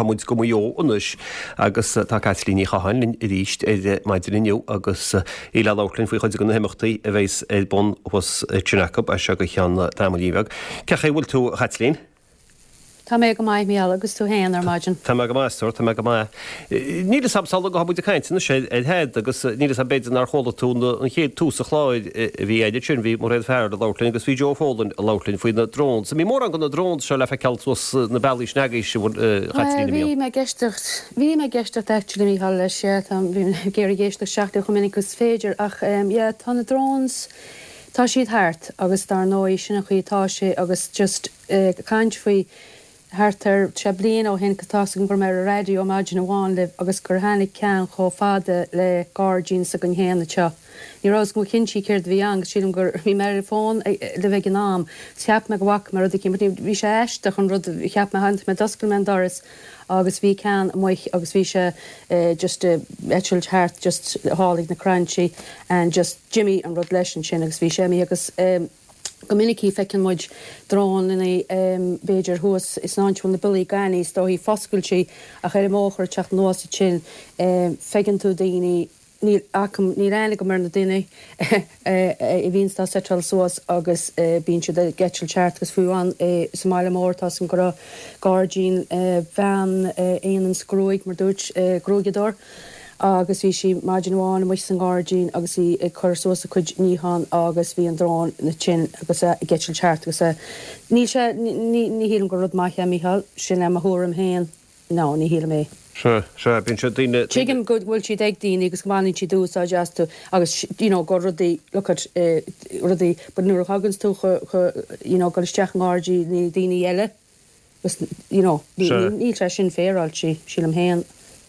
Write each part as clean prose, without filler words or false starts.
Gabhfaidh muid go Maigh Eo anois agus tá Caitlín Ní Chatháin linn arís ar maidin inniu agus í le labhairt linn faoi chuid de na himeachtaí a bheas ar bun thuas ansin acu as seo go ceann tamaillín bheag. Cén chaoi a bhfuil tú, a Chaitlín? Tá mé go maith, Mícheál, agus tú féin ar maidin? Tá mé go maith, a stór, tá mé go maith. Níl fhios a'm, sula ngabhfaidh muid ag caint anois ar Thad agus níl fhios a'm b'fhéidir nár chuala tú an chéad tús an chláir a bhí a'inn ansin, bhí Mairéad Farrell ag labhairt linn agus bhí Joe Folan ag labhairt linn faoi na drones. An mbíonn mórán de na drones seo le feiceáil suas na bealaí sin agaibhse, a Chaitlín, an mbíonn? Bhí mé ag éisteacht, bhí mé ag éisteacht actually, Mícheál, leis, yeah, tá, bhí mé ag iarraidh éisteacht isteach leo chomh minic agus is féidir ach yeah, tá na drones, tá siad thart agus dar ndóigh sin an chaoi atá sé agus just, ag caint faoi thart ar sé bliana ó shin, tá's agam go raibh mé ar an raidió maidin amháin libh agus gur tháinig ceann chomh fada le gairdín s'againn féin anseo. Ní raibh 'fhios agam go cinnte céard a bhí ann agus sílim gur bhí mé ar an bhfón libh ag an am 's cheap mé go bhfaca mé rud eicínt but bhí sé aisteach an rud a cheap mé tháinig mé d'oscail mé an doras agus bhí ceann amuigh agus bhí sé just ag eitilt thart just thall ag na crainnte and just d'imigh an rud leis ansin agus bhí sé imithe agus Go minic feiceann muid drónannaí b'fhéidir thuas san áit a bhfuil na biollaí gainimh is dóichí foscailte ach ar an mbóthar ag teacht anuas ansin feiceann tú daoine, níl agam, níl aithne agam ar na daoine a bhíonns á seiteáil suas agus bíonn siad ag eitilt thart agus fiú amháin sa mbaile mór tá 'fhios agam go raibh gairdín bean a dhéananns gruaig mar dúirt gruaigeadóir agus bhí sí maidin amháin amuigh san ngairdín agus í ag cur suas a cuid níochán agus bhí an drón ansin agus é ag eitilt thart agus é níl sé ní ní shílim gur rud maith é Mícheál, sin é mo thuairim féin no ní shílim é. Sea, sea, bíonn sé daoine, daoine. Tuigim go bhfuil siad ag daoine agus go mbaineann siad úsáid astu agus you know go rudaí look at eh rudaí but nuair a thaganns tú chu chu you know dul isteach i ngairdíní daoine eile Agus, you know, níl sé sin féaráilte, sílim féin.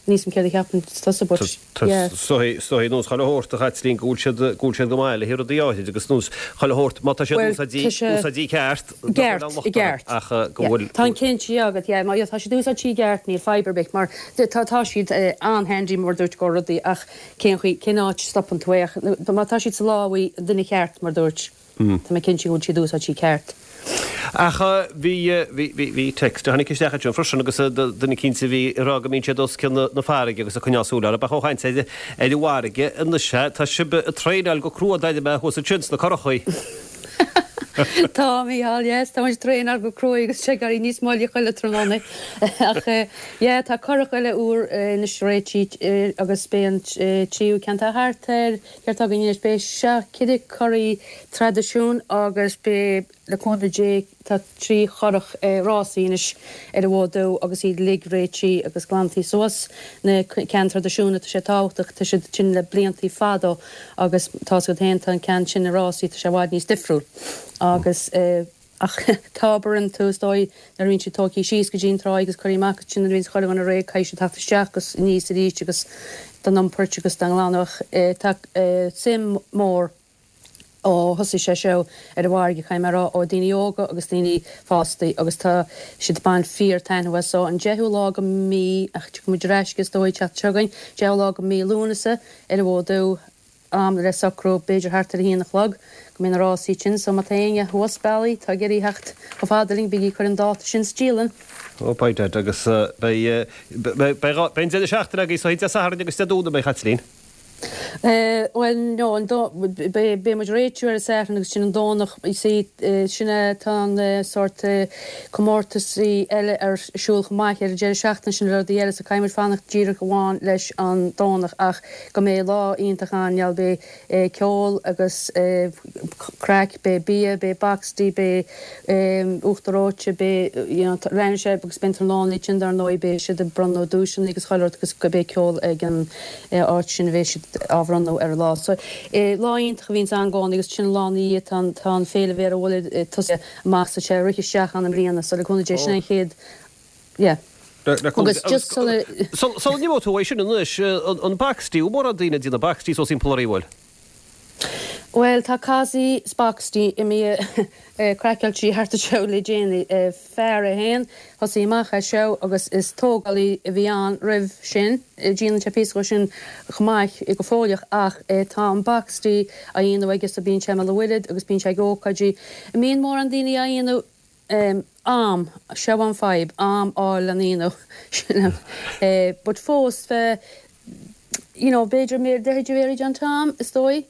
Níl 'fhios a'm céard a cheapann tusa but, yeah. Is dóigh nós chuile shórt, a Chaitlín, go bhfuil siad, go bhfuil siad go maith le haghaidh rudaí áithrid agus nós chuile shórt, má tá siad úsáidte, úsáidte i gceart, nach bhfuil aon locht orthu ach go bhfuil. Tá an cinnte agat, yeah, má tá siad úsáidte i gceart níl fadhb ar bith mar tá, tá siad an-handy mar dúirt go rudaí ach cén chaoi, cén áit a stopann tú é ach má tá siad sa lámhaí an duine cheart mar dúirt. Tá mé cinnte go bhfuil siad úsáidte ceart. Ach bhí, bhí, bhí, bhí text a tháinig isteach ansin freisin agus duine eicínt a bhí ag rá go mbíonn siad os cionn na farraige agus ag coinneáil súil orthu. Ach ó chaint ar, ar an bhfarraige anois, tá sibh ag traenáil go crua d'aire mé thuas ansin sna curachaí. Tá, Mícheál, yes, tá muid ag traenáil go crua agus sé ag éirí níos moille chuile tráthnóna. Ach yeah, tá curach eile úr anois réitithe agus beidh an tríú ceann, tá thart ar, Céard atá againn anois? Beidh 7 curaí traidisiún agus beidh, le cúnamh Dé, tá 3 churach rásaí anois ar an bhfód dubh agus iad uilig réitithe agus glantaí suas. Na ceann traidisiúnta, tá sé tábhachtach, tá siad sin le bliantaí fada agus tá's agat féin, tá an ceann sin na rásaí, tá sé i bhfad níos difriúil agus. Ach tá obair iontu, is dóigh, nuair a bhíonn siad tógthaí síos go dtí an tráigh agus curthaí amach ansin nuair a bhíonns chuile dhuine réidh caithfidh siad theacht isteach agus aníos arís agus dá n-iompairt agus dá nglanadh ach tá suim mór ó thosaigh sé seo ar an bhfarraige caithfidh mé a rá ó daoine óga agus daoine fástaí agus tá siad ag baint fíor taitneamh as so an 10ú lá go mí ach tiocfaidh muid ar ais is dóigh an tseachtain seo chugainn 10ú lá go mí Lúnasa ar an bhFód Dubh. am le socrú, b'fhéidir thart ar a haon a chlog, go mbeidh na rásaí ansin, so má tá éinne thuas bealaí atá ag iarraidh theacht chomh fada linn, bígí ag cur an dáta sin sa dialann. Ó beidh Dad agus beidh, beidh, beidh an deireadh seachtaine agaibh so Dé Sathairn agus Dé Domhnaigh beidh Chaitlín. Bhuel no, an do, beidh, beidh muid réitiú ar an Satharn agus sin an Domhnach, you see, sin é, tá an sórt comórtasaí eile ar siúl chomh maith ar an deireadh seachtaine sin rudaí eile so caithfidh muid fanacht díreach amháin leis an Domhnach ach go mbeidh lá iontach ann, gheall, beidh ceol agus craic, beidh bia, beidh boxty, beidh uachtar reoite, beidh, you know, leanfaidh sé agus beidh an tráthnóna ansin dar ndóigh, beidh siad ag bronnadh duaiseanna agus chuile rud agus beidh ceol ag an áit sin a bheidh siad á bhronnadh ar an lá. So, lá iontach a bhíonns ann i gcónaí agus sin an lá ina dhiaidh tá an, tá an Féile Bhéara Bhuile tosaithe amach so sé rith isteach ann i mbliana so le cúnamh Dé sin an chéad, yeah. Agus just sula. Sula n-imeoidh tú uaidh sin anois, an boxty, bhfuil mórán daoine ag déanamh boxty suas timpeall oraibh, bhfuil? Bhuel, tá Cossie 's Boxty imithe craiceáilte thart anseo le déanaí. Fear é féin, thosaigh amach é seo agus is tógálaí a bhí ann roimh sin. Déanann sé píosa dhó sin chomh maith go fóilleach ach tá an boxty á dhéanamh aige so bíonn sé i mBéal an Mhuirthead agus bíonn sé ag ócáidí. An mbíonn mórán daoine á dhéanamh? Am, seo an fadhb, am fháil lena dhéanamh, sin é. But fós, bheith, you know, b'fhéidir mé deich de bhéirí an t-am, is dóigh.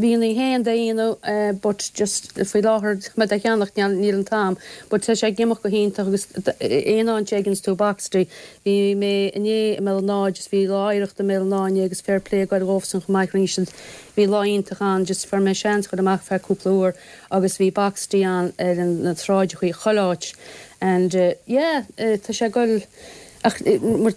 Bhí féin dá dhéanamh but just faoi láthair tá mé dá cheannacht níl an t-am. But tá sé ag imeacht go hiontach agus aon áit a fheiceanns tú boxty, bhí mé inné i mBéal an Átha just bhí lá oidhreachta i mBéal an Átha inné agus fair play ag goil dhóibhsan chomh maith rinne siad, bhí lá iontach ann just fuair mé seans dhul amach feadh cúpla uair agus bhí boxty ann ar na sráideachaí chuile áit and yeah tá sé ag goil ach mar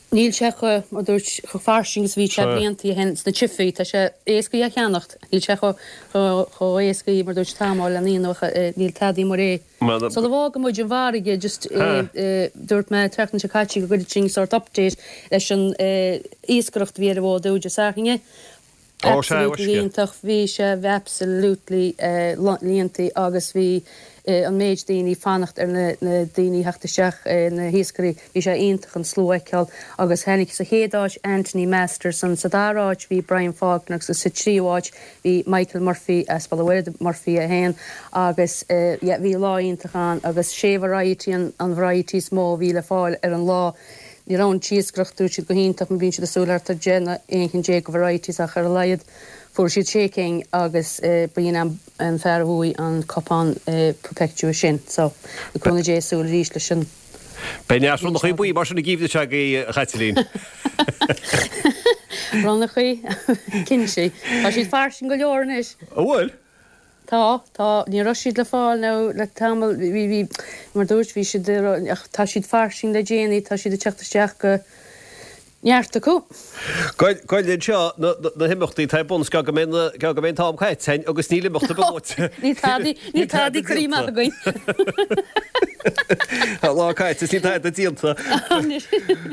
Níl sé chomh, mar dúirt, chomh fairsing is a bhí sé blianta ó shin sna siopaí. Tá sé éasca é a cheannacht. Níl sé chomh, chomh, chomh éasca, mar dúirt, t-am a fháil lena dhéanamh ach níl tada amuigh réidh. Sula bhfága muid an bhfarraige, just, dúirt mé an tseachtain seo caite go gcuirfeadh sinn sort update leis an iascaireacht a bhí ar an bhfód úd Dé Sathairn. Ó sea, Absolutely uisce. iontach. Bhí sé absolutely líontaí agus bhí an méid daoine ag fanacht ar na daoine a theacht isteach, na hiascairí, bhí sé iontach an slua a fheiceáil agus tháinig sa chéad áit Anthony Masterson, sa dara áit bhí Brian Faulkner agus sa tríú áit bhí Michael Murphy as Baile an Mhuirthead, Murphy é féin agus yeah bhí lá iontach ann agus sé variety an variety is mó a bhí le fáil ar an lá. Ní raibh an t-iascaireacht, dúirt siad, go hiontach mar bíonn siad ag súil thart ar 10 nó 11 cheann de varieties ach ar a laghad fuair siad sé cinn agus ba in an fear a bhuaigh an cupán Perpetua sin. So, le cúnamh Dé súil arís leis an. Beidh neart ronnachaí buí mar sin an geimhreadh seo agaibh, a Chaitlín. Ronnachaí? Cinnte. Tá siad fairsing go leor anois. An bhfuil? Tá, tá. Ní raibh siad le fáil nó le tamall, bhí, bhí, mar dúirt, bhí siad, ach tá siad fairsing le déanaí, tá siad ag teacht isteach go neart acu. Gabh anseo na, na himeachtaí atá ar bun is gá go mbeidh na, gá go mbeidh an t-am caite againn agus níl imeacht ar bith luaite. Níl tadaí, níl tadaí curtha amach againn. Tá lá caite is níl tada déanta.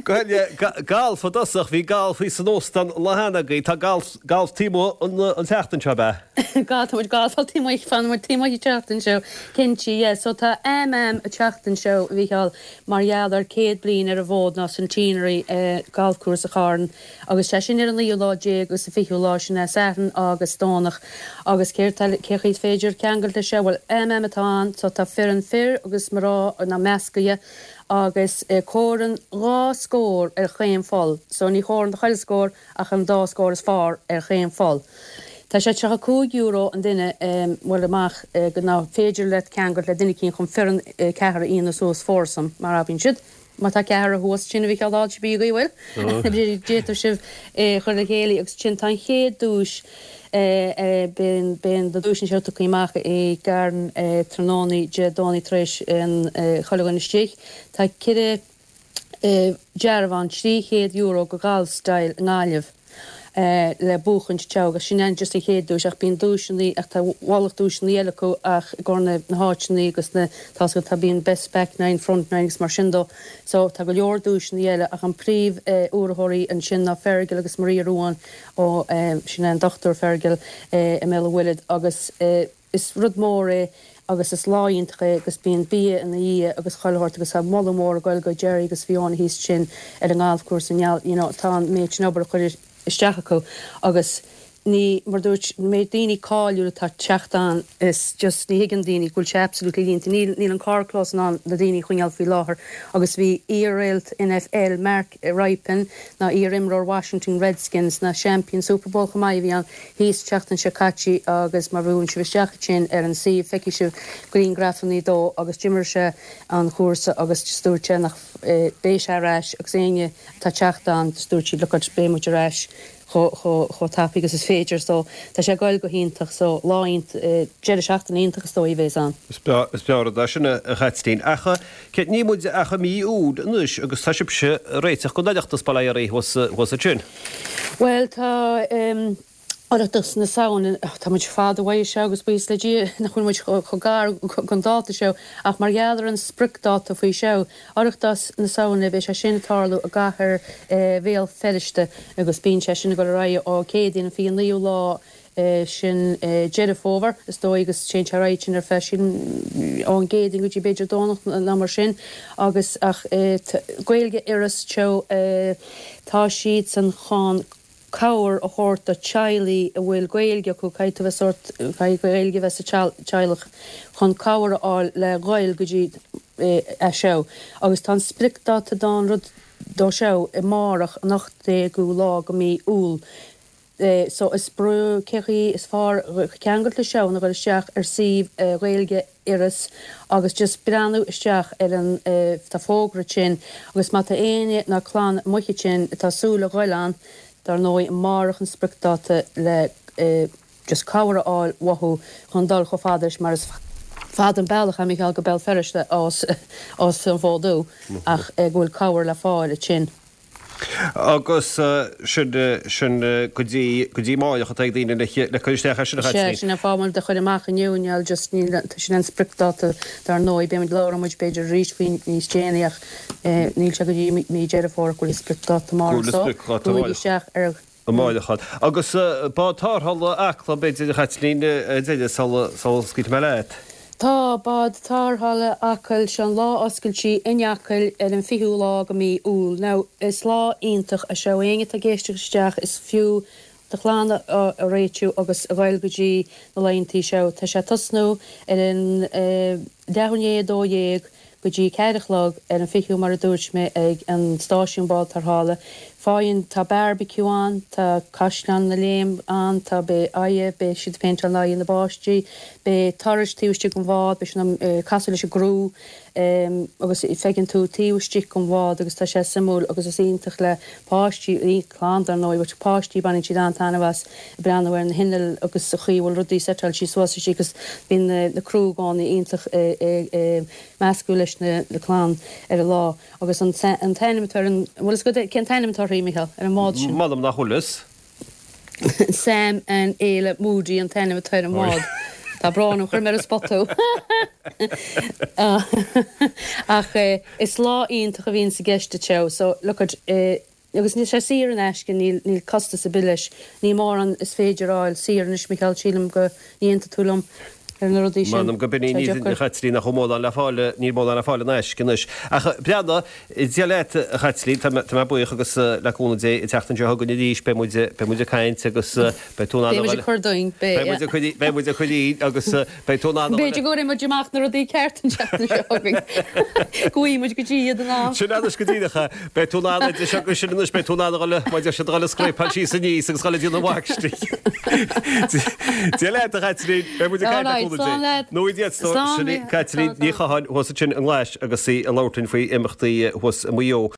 Gabh, galf i dtosach, bhí galf thíos san óstán an lá cheana agaibh, tá galf, galf taobh amuigh an, an tseachtain seo, ab ea? Tá muid galfáil taobh amuigh, fanann muid taobh amuigh an tseachtain seo, cinnte, yeah. So tá Am Am an tseachtain seo, a Mhícheáil, mar gheall ar 100 bliain ar an bhfód ná centenary galfchúrsa Chairn agus sé sin ar an naoú lá déag agus an fichiú lá, sin é Satharn agus Domhnach. Agus céard tá, cé chaoi is féidir ceangailt leis seo? Bhuel, Am Am atá ann, so tá foireann fir agus mná ná meascaithe agus comhaireann dhá scór ar chaon pholl, so ní chomhaireann do chuile scór, ach an dá scór is fearr ar chaon pholl. Tá sé €35 an duine, bhuel amach go ná féidir leat ceangailt le duine eicínt chun foireann ceathrar a dhéanamh suas foursome mar abraíonn siad. Má tá ceathrar thuas sin a Mhícheáil thall cibé agaibh bhfuil, d'fhéadfadh sibh é a chur le chéile agus sin tá an chéad duais beidh na duaiseanna seo tugtha amach i gCarn tráthnóna Dé Domhnaigh tar éis an chuile dhuine istigh. Tá ceithre dearbhán €300 go Golf Style i nGaillimh le buachaint teo agus sin an just an chéad duais ach bíonn duaiseanna ach tá ualach duaiseanna eile acu ach i gcomhair na háiteanna agus na tá 's agat tá bíonn best back nine, front nine agus mar sin dó so tá go leor duaiseanna eile ach an príomh urraitheoirí ansin ná Fergal agus Maria Ruane ó sin é an Dochtúir Fergal i mBéal an Mhuirthead agus Is rud mór é agus is lá iontach é agus bíonn bia ina dhiaidh agus chuile shórt agus tá moladh mór ag goil go Jerry agus Fiona thíos ansin ar an ngalfchúrsa i ngeall you know tá an méid sin obair curtha isteach acu agus ní mar dúirt an méid daoine cáiliúil atá ag teacht ann is just ní thuigeann daoine go bhfuil sé absolutely líonta níl níl an carrchlós in ann na daoine a choinneáil faoi láthair agus bhí iar-réalt NFL Mark Rypien ná iar-imreoir Washington Redskins ná seaimpín Super Bowl chomh maith a bhí ann thíos an tseachtain seo caite agus má bhuaileann sibh isteach ansin ar an suíomh feicfidh sibh grianghrafannaí dó agus d'imir sé an chúrsa agus just dúirt sé nach beidh sé ar ais agus éinne atá ag teacht ann just dúirt siad look at beidh muid ar ais chomh tapaidh agus is féidir so tá sé ag goil go hiontach so lá iontach deireadh seachtaine iontach is dóigh a bheas ann. Is breá rud é sin a Chaitlín. Ach níl muid ach i mí Iúil anois agus tá sibhse ag réiteach don Oireachtas bail ó Dhia oraibh thuas ansin. Bhuel, tá Oireachtas na Samhna, tá muid fada uaidh seo agus buíochas le Dia nach bhfuil muid chomh gar don dáta seo ach mar gheall ar an spriocdáta faoi seo, Oireachtas na Samhna, beidh sé sin ag tarlú i gcathair Bhéal Feirste agus bíonn sé sin ag dul ar aghaidh ó Céadaoin an 29ú lá sin Deireadh Fómhair, is dóigh, agus téann sé ar aghaidh sin ar feadh, sílim, ón gCéadaoin go dtí b'fhéidir Domhnach nó mar sin agus ach Gaeilge Iorras Teo, tá siadsan chun. cabhair a thabhairt do teaghlaigh a bhfuil Gaeilge acu, caithfidh tú bheith sórt, caithfidh Gaeilge a bheith sa teaghlach chun cabhair a fháil le ghoil go dtí é seo agus tá an spriocdáta don rud dó seo amárach an 18ú lá go mí Iúil. So is breá cé chaoi is fearr ceangailt le seo ná dhul isteach ar suíomh Ghaeilge Iorrais agus just breathnú isteach ar an, tá fógra ansin agus má tá éinne ná clann amuigh ansin atá súil a ghoil ann, dar ndóigh amárach an spriocdáta le just cabhair a fháil uathu chun dul chomh fada leis mar is fada an bealach é Micheál go Béal Feirste as an Fhód Dubh ach go bhfuil cabhair le fáil ansin. Agus sin, sin go dtí, go dtí amáireach atá ag daoine le, le cur isteach air sin a Sea, Chaitlín. sin an fáth muid a chur amach inniu, níl just, níl, sin an spriocdáta dar ndóigh, beidh muid, labhróidh muid b'fhéidir arís faoi níos déanaí ach níl sé go dtí mí Deireadh Fómhair go bhfuil an spriocdáta Go amárach bhfuil an so, spriocdháta gabhaigí amárach. isteach ar. Amáireach ann. Agus bád tarrthála Acla, b'fhéidir, a Chaitlín, ar deireadh, sula scaoilfidh mé leat. Tá bád tarrthála Acaill, seo an lá oscailte in Acaill ar an 20ú lá go mí Iúil. Now, is lá iontach é seo, éinne atá ag éisteacht isteach, is fiú do chlann a réitiú agus a ghoil go dtí na laethantaí seo. Tá sé ag tosnú ar an leathuair i ndiaidh 12 go dtí 4 a chlog ar an 20ú mar a dúirt mé ag an stáisiún bád tarrthála. Faigheann, tá barbecue ann, tá caisleán na Léime ann, tá, beidh aghaidhe, beidh siad ag péinteáil aghaidhe na bpáistí, beidh turais taobh istigh den bhád, beidh siad ag casadh leis an gcriú agus feiceann tú taobh istigh den bhád agus tá sé suimiúil agus is iontach le páistí, clann dar ndóigh, but páistí baineann siad an-taitneamh as ag breathnú ar na hinnill agus an chaoi a bhfuil rudaí seiteáilte suas istigh agus bíonn na criú i gcónaí iontach ag meascadh leis na clann ar an lá. Agus an t-ainm atá ar an, an bhfuil fhios agat cén t-ainm atá uirthi, Micheál, ar an mbád sin? M'anam nach bhfuil fhios. Sam and Éile Moody an t-ainm atá ar an mbád. Tá brón orm, chuir mé ar an spot thú. Ach is lá iontach a bhíonn i gceist anseo, so look at, Agus níl sé saor in aisce, níl, níl costas ar bith leis. Níl mórán is féidir a fháil saor anois, Micheál, sílim go n-aontóidh tú liom ar na rudaí sin. M'anam go b'in í, Tá níl, deacair. a Chaitlín, nach bhfuil mórán le fáil, níl mórán le fáil in aisce anois. Ach breathnaigh, Dia leat, a Chaitlín, tá mé, tá mé buíoch agus le cúnamh Dé, an tseachtain seo chugainn arís, beidh muid, beidh muid ag caint agus beidh tú in ann Beidh a muid dhul, ag cur dúinn, beidh, beidh muid ag cur, beidh muid ag cur dínn agus beidh tú in ann a dhul. B'fhéidir go gcuirfidh muid amach na rudaí ceart an tseachtain seo chugainn. Go bhfaighidh muid go dtí iad in am. Sin anois go díreach é. Beidh tú in ann idir seo agus sin anois, beidh tú in ann a dhul, mar a deir siad, a dhul ag scrapáil síos aníos agus dhul ag déanamh mháistrí. Dia leat, a Chaitlín. Beidh muid ag caint le Alright, cúnamh Dé. slán leat. Nó Dia duit, Slán, Sin í Slán, Caitlín slán. Ní Chatháin thuas ansin i nGlais agus í ag labhairt linn faoi imeachtaí thuas i Maigh Eo.